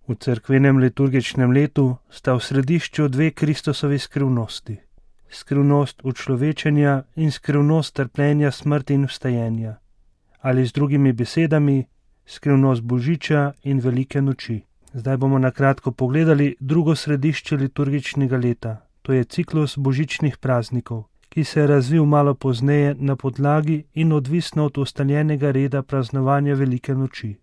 V cerkvenem liturgičnem letu sta v središču dve Kristusovi skrivnosti. Skrivnost učlovečenja in skrivnost trpljenja, smrti in vstajenja. Ali z drugimi besedami, skrivnost božiča in velike noči. Zdaj bomo na kratko pogledali drugo središče liturgičnega leta. To je ciklus božičnih praznikov, ki se je razvil malo pozneje na podlagi in odvisno od ustaljenega reda praznovanja velike noči.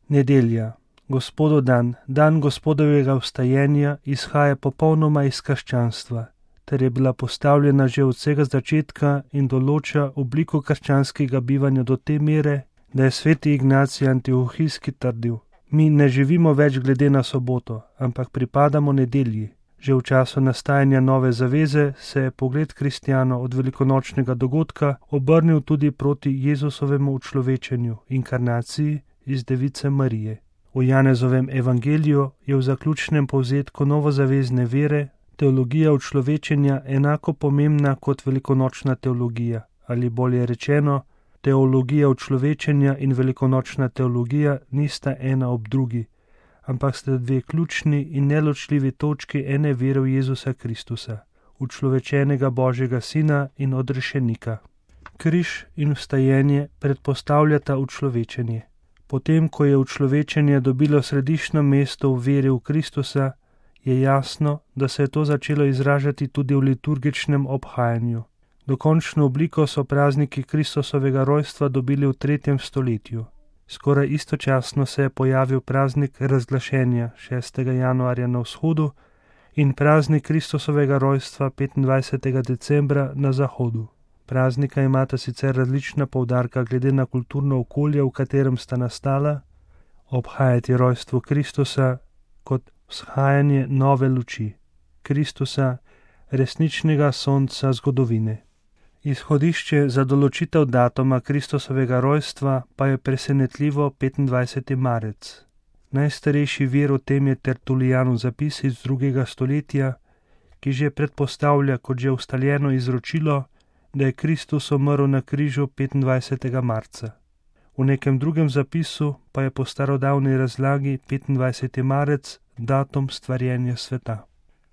Nedelja, Gospodov dan, dan Gospodovega vstajenja, izhaja popolnoma iz krščanstva, ter je bila postavljena že od vsega začetka in določa obliko krščanskega bivanja do te mere, da je sveti Ignacij Antiohijski trdil: mi ne živimo več glede na soboto, ampak pripadamo nedelji. Že v času nastajanja nove zaveze se je pogled kristjanov od velikonočnega dogodka obrnil tudi proti Jezusovemu učlovečenju, inkarnaciji iz Device Marije. V Janezovem evangeliju je v zaključnem povzetku novozavezne vere teologija učlovečenja enako pomembna kot velikonočna teologija, ali bolje rečeno, teologija učlovečenja in velikonočna teologija nista ena ob drugi, ampak sta dve ključni in neločljivi točki ene vere v Jezusa Kristusa, učlovečenega Božjega Sina in odrešenika. Križ in vstajenje predpostavljata učlovečenje. Potem, ko je učlovečenje dobilo središčno mesto v veri v Kristusa, je jasno, da se je to začelo izražati tudi v liturgičnem obhajanju. Dokončno obliko so prazniki Kristusovega rojstva dobili v 3. stoletju. Skoraj istočasno se je pojavil praznik razglašenja 6. januarja na vzhodu in praznik Kristusovega rojstva 25. decembra na zahodu. Praznika imata sicer različna poudarka glede na kulturno okolje, v katerem sta nastala, obhajati rojstvo Kristusa kot vzhajanje nove luči, Kristusa, resničnega sonca zgodovine. Izhodišče za določitev datuma Kristusovega rojstva pa je presenetljivo 25. marec. Najstarejši vir o tem je Tertulijanov zapis iz 2. stoletja, ki že predpostavlja kot že ustaljeno izročilo, da je Kristus umrl na križu 25. marca. V nekem drugem zapisu pa je po starodavni razlagi 25. marec datum stvarjenja sveta.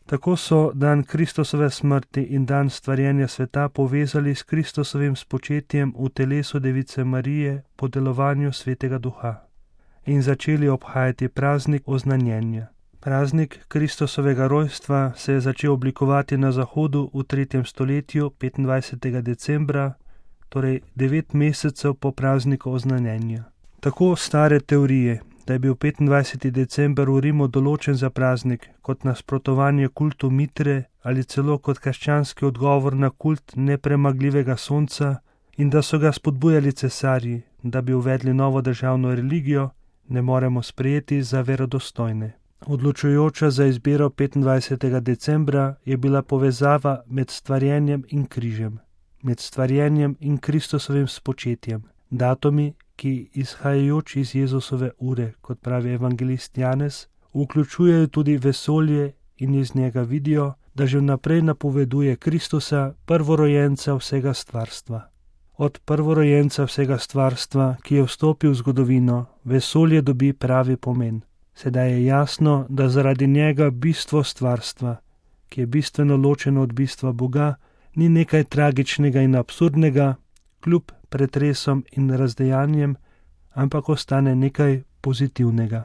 Tako so dan Kristusove smrti in dan stvarjenja sveta povezali s Kristusovim spočetjem v telesu Device Marije po delovanju Svetega Duha in začeli obhajati praznik oznanjenja. Praznik Kristusovega rojstva se je začel oblikovati na zahodu v 3. stoletju 25. decembra, torej 9 mesecev po prazniku oznanjenja. Tako stare teorije, da je bil 25. december v Rimu določen za praznik kot nasprotovanje kultu Mitre ali celo kot krščanski odgovor na kult nepremagljivega sonca in da so ga spodbujali cesarji, da bi uvedli novo državno religijo, ne moremo sprejeti za verodostojne. Odločujoča za izbiro 25. decembra je bila povezava med stvarjenjem in križem, med stvarjenjem in Kristusovim spočetjem, datumi, ki izhajajoč iz Jezusove ure, kot pravi evangelist Janez, vključujejo tudi vesolje in iz njega vidijo, da že vnaprej napoveduje Kristusa, prvorojenca vsega stvarstva. Od prvorojenca vsega stvarstva, ki je vstopil v zgodovino, vesolje dobi pravi pomen. Sedaj je jasno, da zaradi njega bistvo stvarstva, ki je bistveno ločeno od bistva Boga, ni nekaj tragičnega in absurdnega, kljub pretresom in razdejanjem, ampak ostane nekaj pozitivnega.